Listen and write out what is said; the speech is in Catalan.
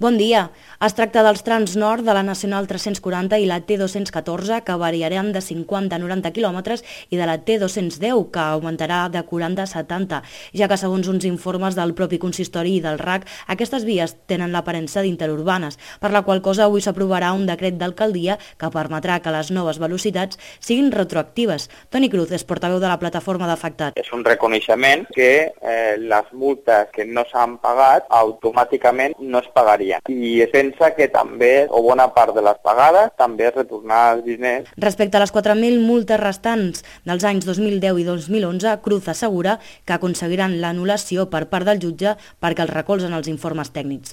Bon dia. Es tracta dels trams nord de la Nacional 340 i la T214, que variaran de 50 a 90 quilòmetres, i de la T210, que augmentarà de 40 a 70, ja que segons uns informes del propi consistori i del RAC, aquestes vies tenen l'aparença d'interurbanes, per la qual cosa avui s'aprovarà un decret d'alcaldia que permetrà que les noves velocitats siguin retroactives. Toni Cruz és portaveu de la plataforma d'afectats. És un reconeixement que les multes que no s'han pagat automàticament no es pagarien. I es pensa que també, o bona part de les pagades, també es retornar els diners. Respecte a les 4.000 multes restants dels anys 2010 i 2011, Cruz assegura que aconseguiran l'anul·lació per part del jutge perquè els recolzen els informes tècnics.